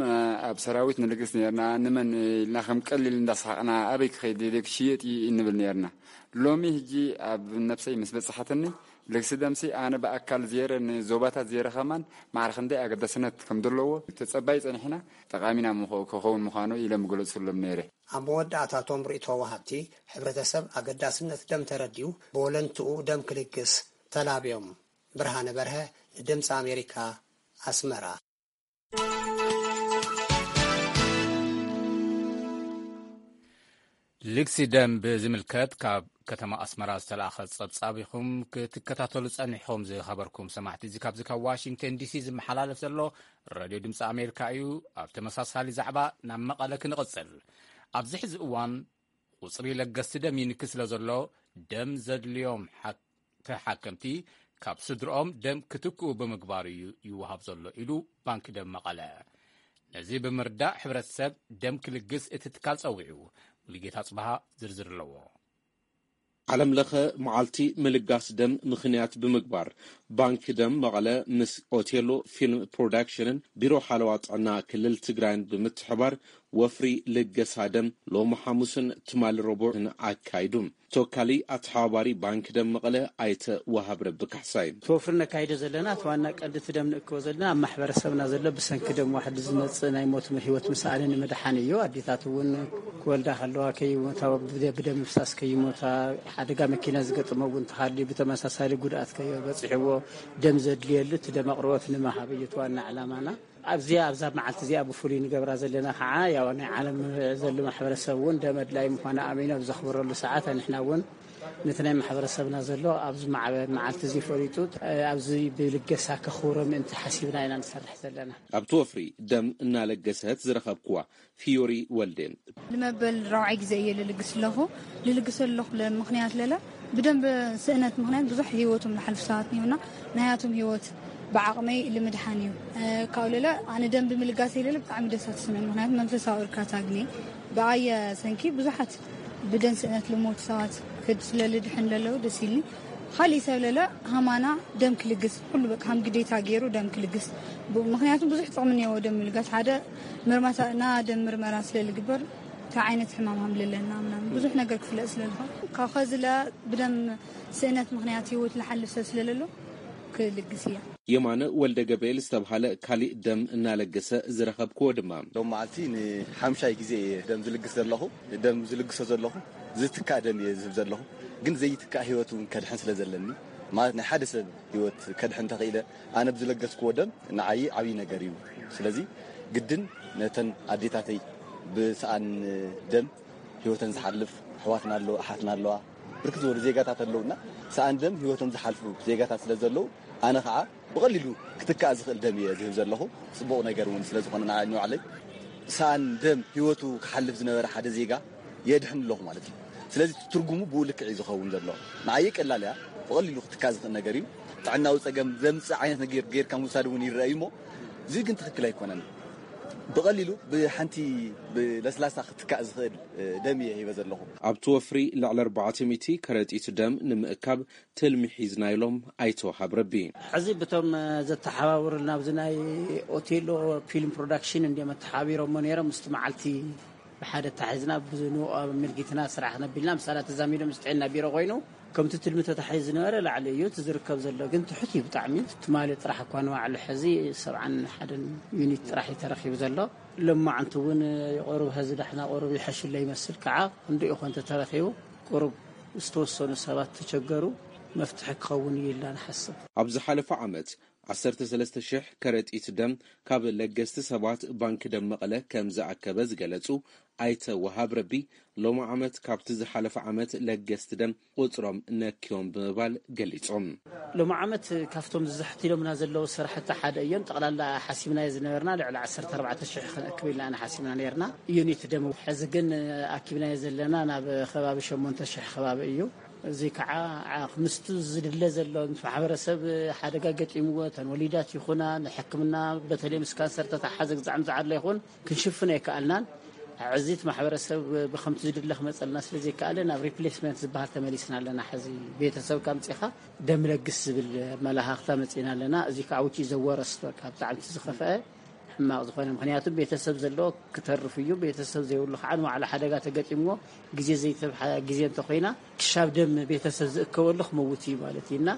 ኣብ ሰራዊት ንልግስ ነርና፣ ንመን ኢልና ከም ቀሊል እንዳሰሓቕና ኣበይ ክኸይድ ደደ ክሽየጥ እዩ እንብል ነርና። ሎሚ ሕጂ ኣብ ነብሰይ ምስ በጽሓትኒ ልግሲ ደምሲ ኣነ ብኣካል ዜረ ንዞባታት ዜረ ከማን ማዕረ ክንደይ ኣገዳስነት ከም ዘለዎ ተጸባይ ጸኒሕና ጠቓሚና ምኾ- ክኸውን ምዃኑ ኢለ ምገለጽሎም ነይረ። ኣብ መወዳእታቶም ርእቶ ወሃብቲ፣ ሕብረተሰብ ኣገዳስነት ደም ተረዲኡ ብወለንትኡ ደም ክልግስ ተላብዮም። ብርሃነ በርሀ ንድምፂ ኣሜሪካ ኣስመራ። ልግሲ ደም ብዝምልከት ካብ ከተማ ኣስመራ ዝተላእኸ ጸብጻብ ኢኹም ክትከታተሉ ጸኒሕኹም። ዝኸበርኩም ሰማዕቲ፣ እዚ ካብዚ ካብ ዋሽንግተን ዲሲ ዝመሓላለፍ ዘሎ ሬድዮ ድምፂ ኣሜሪካ እዩ። ኣብ ተመሳሳሊ ዛዕባ ናብ መቐለ ክንቕጽል። ኣብዚ ሕዚ እዋን ቁጽሪ ለገስቲ ደም ይንኪ ስለ ዘሎ፣ ደም ዘድልዮም ሓ- ተሓከምቲ ካብ ስድርኦም ደም ክትክኡ ብምግባር እዩ ይወሃብ ዘሎ ኢሉ ባንኪ ደም መቐለ። ነዚ ብምርዳእ ሕብረተሰብ ደም ክልግስ እቲ ትካል ጸዊዑ። ሙሉጌታ ጽበሃ ዝርዝር ኣለዎ። ዓለም ለኸ መዓልቲ ምልጋስ ደም ምኽንያት ብምግባር ባንኪ ደም መቐለ ምስ ኦቴሎ ፊልም ፕሮዳክሽንን ቢሮ ሓለዋ ጥዕና ክልል ትግራይን ብምትሕባር ወፍሪ ልገሳ ደም ሎሚ ሓሙስን ትማሊ ረቡዕን ኣካይዱ። ተወካሊ ኣተሓባባሪ ባንኪ ደም መቐለ ኣይተ ወሃብ ረቢ ካሕሳይ። እቲ ወፍሪ ነካይዶ ዘለና እቲ ዋና ቀንዲ እቲ ደም ንእክቦ ዘለና ኣብ ማሕበረሰብና ዘሎ ብሰንኪ ደም ዋሕዲ ዝመፅእ ናይ ሞት ህይወት ምስኣን ንምድሓን እዩ። ኣዴታት እውን ክወልዳ ከለዋ ከይሞታ ብደ- ብደም ምፍሳስ ከይሞታ፣ ሓደጋ መኪና ዝገጠሞ እውን ተሃልዩ ብተመሳሳሊ ጉድኣት ከይበፅሕዎ ደም ዘድልየሉ እቲ ደም ኣቕርቦት ንምሃብ እዩ እቲ ዋና ዕላማና። ኣብዚኣ ኣብዛ መዓልቲ እዚኣ ብፍሉይ ንገብራ ዘለና ከዓ ያው ናይ ዓለም ዘሎ ማሕበረሰብ እውን ደም ኣድላይ ምዃኑ ኣሚኑ ኣብ ዘኽብረሉ ሰዓት ንሕና እውን ነቲ ናይ ማሕበረሰብና ዘሎ ኣብዚ ማዕበ መዓልቲ እዚ ፈሊጡ ኣብዚ ብልገሳ ከኽብሮ ምእንቲ ሓሲብና ኢና ንሰርሕ ዘለና። ኣብቲ ወፍሪ ደም እናለገሰት ዝረኸብክዋ ፊዮሪ ወልዴ። ንመበል ራብዓይ ግዜ እየ ልልግስ ኣለኹ። ልልግስ ኣለኹ ለ- ምኽንያት ለለ ብደንብ ስእነት ምኽንያት ብዙሕ ህይወቶም ዝሓልፉ ሰባት እኒኦና። ናያቶም ህይወት ብዓቕመይ ልምድሓን እዩ። ካብለለ ኣነ ደንብ ምልጋስ የለለ ብጣዕሚ ደሳ ትስምዕን፣ ምኽንያቱ መንፈሳዊ እርካታ ግኒ ብኣየ ሰንኪ ብዙሓት ብደን ስእነት ልሞት ሰባት ክድ ስለልድሕን ለለዉ ደስ ኢልኒ። ካሊእ ሰብ ለለ ሃማና ደም ክልግስ ኩሉ በቃ ሃም ግዴታ ገይሩ ደም ክልግስ። ምኽንያቱም ብዙሕ ጥቕሚ እኒዎ ደም ምልጋስ። ሓደ ምርመራ ደም ምርመራ ስለልግበር እንታይ ዓይነት ሕማም ሃምለለና ምናምን ብዙሕ ነገር ክፍለጥ ስለልኾን ካብ ኸዝለ ብደም ስእነት ምኽንያት ህይወት ልሓልፍ ሰብ ስለለሎ ክልግስ እያ። የማነ ወልደ ገብርኤል ዝተብሃለ ካሊእ ደም እናለገሰ ዝረኸብክዎ ድማ ሎም መዓልቲ ንሓምሻይ ግዜ እየ ደም ዝልግስ ዘለኹ። ደም ዝልግሶ ዘለኹ ዝትካእ ደም እየ ዝህብ ዘለኹ። ግን ዘይትካእ ህይወት እውን ከድሕን ስለ ዘለኒ ማለት ናይ ሓደ ሰብ ህይወት ከድሕን ተኽኢለ ኣነ ብዝለገስክዎ ደም ንዓይ ዓብዪ ነገር እዩ። ስለዚ ግድን ነተን ኣዴታተይ ብሰኣን ደም ህይወተን ዝሓልፍ ኣሕዋትና ኣለዋ ኣሓትና ኣለዋ ብርክት ዝበሉ ዜጋታት ኣለውና። ሰኣን ደም ህይወቶም ዝሓልፉ ዜጋታት ስለ ዘለዉ ኣነ ከዓ ብቐሊሉ ክትካእ ዝኽእል ደም እየ ዝህብ ዘለኹ። ፅቡቕ ነገር እውን ስለ ዝኾነ ንዓይ ንባዕለይ ሰኣን ደም ህይወቱ ክሓልፍ ዝነበረ ሓደ ዜጋ የድሕን ኣለኹ ማለት እዩ። ስለዚ ትርጉሙ ብኡ ልክዕ እዩ ዝኸውን ዘሎ። ንዓየ ቀላል እያ፣ ብቐሊሉ ክትካእ ዝኽእል ነገር እዩ። ጥዕናዊ ፀገም ዘምፅእ ዓይነት ነገር ጌርካ ምውሳድ እውን ይረአ እዩ እሞ እዚ ግን ትኽክል ኣይኮነን። ብቐሊሉ ብሓንቲ ብለስላሳ ክትካእ ዝኽእል ደም እየ ሂበ ዘለኹ። ኣብቲ ወፍሪ ልዕሊ ኣርባዕተ ሚእቲ ከረጢት ደም ንምእካብ ትልሚ ሒዝና ኢሎም ኣይተ ወሃብ ረቢ። ሕዚ ብቶም ዘተሓባብሩልና ኣብዚ ናይ ኦቴሎ ፊልም ፕሮዳክሽን እንዲም ኣተሓባቢሮሞ ነይሮም። ምስቲ መዓልቲ ብሓደ ኣተሓሒዝና ብንኡ ኣመልኪትና ስራሕ ነቢልና ምሳና ተዛሚዶም ምስ ጥዕና ቢሮ ኮይኑ ከምቲ ትልሚ ተታሒዙ ዝነበረ ላዕሊ እዩ እቲ ዝርከብ ዘሎ ግን ትሑት እዩ ብጣዕሚ። ትማሊ ጥራሕ እኳ ንባዕሉ ሕዚ ሰብዓን ሓደን ዩኒት ጥራሕ እዩ ተረኺቡ ዘሎ። ሎማዓንቲ እውን ቁሩብ ሀዚ ዳሕና ቁሩብ ይሐሽለ ይመስል ከዓ ክንድኡ ኮን ተተረኺቡ ቁሩብ ዝተወሰኑ ሰባት ተቸገሩ መፍትሒ ክኸውን እዩ ኢልና ንሓስብ። ኣብ ዝሓለፈ ዓመት ዓሰርተ ሰለስተ ሽሕ ከረጢት ደም ካብ ለገስቲ ሰባት ባንኪ ደም መቐለ ከም ዝኣከበ ዝገለጹ ኣይተ ወሃብ ረቢ፣ ሎሚ ዓመት ካብቲ ዝሓለፈ ዓመት ለገስቲ ደም ቁጽሮም ነክዮም ብምባል ገሊጾም። ሎሚ ዓመት ካብቶም ዝዛሕቲሎምና ዘለዉ ስራሕቲ ሓደ እዮም። ጠቕላላ ሓሲብናዮ ዝነበርና ልዕሊ ዓሰርተ ኣርባዕተ ሽሕ ክንእክብ ኢልና ኢና ሓሲብና ነርና። ዩኒት ደም ሕዚ ግን ኣኪብናዮ ዘለና ናብ ከባቢ ሸሞንተ ሽሕ ከባቢ እዩ። እዚ ከዓ ምስቱ ዝድለ ዘሎ ማሕበረሰብ ሓደጋ ገጢምዎ እተን ወሊዳት ይኹና ንሕክምና በተለይ ምስ ካንሰር ተተሓዘ ግዛዕም ዝዓለ ይኹን ክንሽፍን ኣይከኣልናን። ሕዚ እቲ ማሕበረሰብ ብከምቲ ዝድለ ክመፀልና ስለዘይከኣለ ናብ ሪፕሌስመንት ዝበሃል ተመሊስና ኣለና። ሕዚ ቤተሰብ ካምፅኻ ደም ለግስ ዝብል መላኻኽታ መፂና ኣለና። እዚ ከዓ ውጪ ዘወረስ በቃ ብጣዕሚ እቲ ዝኸፍአ ሕማቕ ዝኾነ ምክንያቱ ቤተሰብ ዘለዎ ክተርፍ እዩ። ቤተሰብ ዘይብሉ ከዓ ንባዕሉ ሓደጋ ተገጢምዎ ግዜ ዘይተብሓ ግዜ እንተኮይና ክሻብ ደም ቤተሰብ ዝእከበሉ ክመውት እዩ ማለት እዩ እና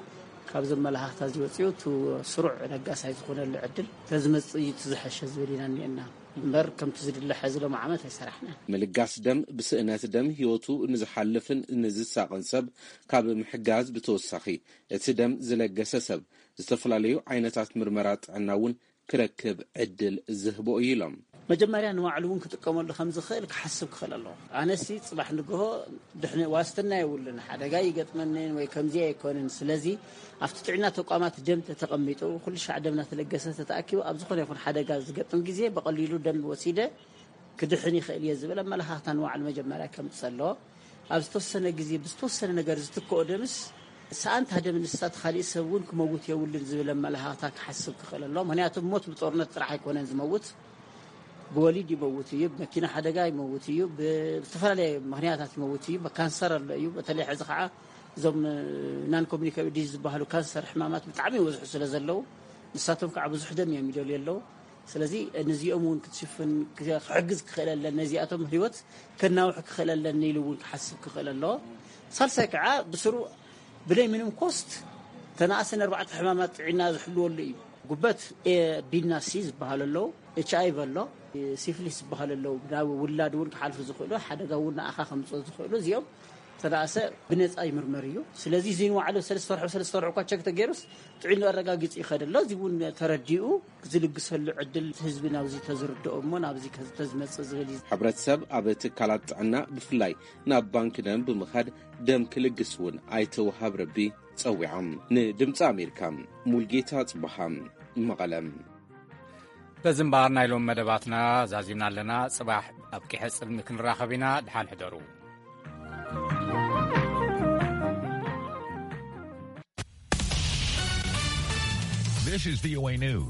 ካብዞም መላኻኽታ እዚ ወፂኡ እቲ ስሩዕ ለጋሳይ ዝኾነሉ ዕድል ተዝመፅእ እዩ እቲ ዝሐሸ ዝብል ኢና እኒአና። እምበር ከምቲ ዝድለ ሕዚ ሎም ዓመት ኣይሰራሕናን። ምልጋስ ደም ብስእነት ደም ህይወቱ ንዝሓልፍን ንዝሳቕን ሰብ ካብ ምሕጋዝ ብተወሳኺ እቲ ደም ዝለገሰ ሰብ ዝተፈላለዩ ዓይነታት ምርመራ ጥዕና እውን ክረክብ ዕድል ዝህቦ እዩ ኢሎም። መጀመርያ ንባዕሉ እውን ክጥቀመሉ ከም ዝኽእል ክሓስብ ክኽእል ኣለዎ። ኣነሲ ፅባሕ ንግሆ ድሕነ ዋስትና የብሉን፣ ሓደጋ ይገጥመንን ወይ ከምዚ ኣይኮንን። ስለዚ ኣብቲ ጥዕና ተቋማት ደም ተተቐሚጡ ኩሉ ሻዕ ደም እናተለገሰ ተተኣኪቡ ኣብ ዝኾነ ይኹን ሓደጋ ዝገጥም ግዜ ብቐሊሉ ደም ወሲደ ክድሕን ይኽእል እየ ዝብል ኣመለኻኽታ ንባዕሉ መጀመርያ ከምፅእ ኣለዎ። ኣብ ዝተወሰነ ግዜ ብዝተወሰነ ነገር ዝትክኦ ደምስ ሰኣንታ ደም ንሳ እቲ ካሊእ ሰብ እውን ክመውት የብሉን ዝብል ኣመለኻኽታ ክሓስብ ክኽእል ኣሎ። ምክንያቱ ሞት ብጦርነት ጥራሕ ኣይኮነን ዝመውት፣ ብወሊድ ይመውት እዩ፣ ብመኪና ሓደጋ ይመውት እዩ፣ ብዝተፈላለየ ምክንያታት ይመውት እዩ፣ ብካንሰር ኣሎ እዩ። በተለይ ሕዚ ከዓ እዞም ናን ኮሚኒካብል ዲዝ ዝበሃሉ ካንሰር ሕማማት ብጣዕሚ ይበዝሑ ስለ ዘለዉ ንሳቶም ከዓ ብዙሕ ደም እዮም ይደልዩ ኣለዉ። ስለዚ ነዚኦም እውን ክትሽፍን ክሕግዝ ክኽእለለን ነዚኣቶም ህይወት ከናውሕ ክኽእለለን ኢሉ እውን ክሓስብ ክኽእል ኣለዎ። ሳልሳይ ከዓ ብስሩ ብለይ ምንም ኮስት ተናእሰን ኣርባዕተ ሕማማት ጥዕና ዝሕልወሉ እዩ። ጉበት ኤ ቢና ሲ ዝበሃሉ ኣለዉ፣ ኤች ኣይቪ ኣሎ፣ ሲፍሊስ ዝበሃሉ ኣለዉ። ናብ ውላድ እውን ክሓልፉ ዝኽእሉ ሓደጋ እውን ንኣኻ ከምፅኦ ዝኽእሉ እዚኦም ተናእሰ ብነፃ ይምርመር እዩ። ስለዚ እዚ ንባዕሉ ሰለስተ ወርሒ ሰለስተ ወርሒ እኳ ቸክ ተገይሩስ ጥዕኑ ኣረጋጊፂ ይኸድ ኣሎ። እዚ እውን ተረዲኡ ዝልግሰሉ ዕድል ህዝቢ ናብዚ ተዝርድኦ እሞ ናብዚ ተዝመፅእ ዝብል እዩ። ሕብረተሰብ ኣብ ትካላት ጥዕና ብፍላይ ናብ ባንኪ ደም ብምኻድ ደም ክልግስ እውን ኣይተወሃብ ረቢ ፀዊዖም። ንድምፂ ኣሜሪካ ሙልጌታ ፅበሃ መቐለም። በዚ እምበኣር ናይ ሎም መደባትና ዛዚምና ኣለና። ጽባሕ ኣብ ቂሐ ጽልሚ ክንራኸብ ኢና። ድሓን ሕደሩ። This is V O A News.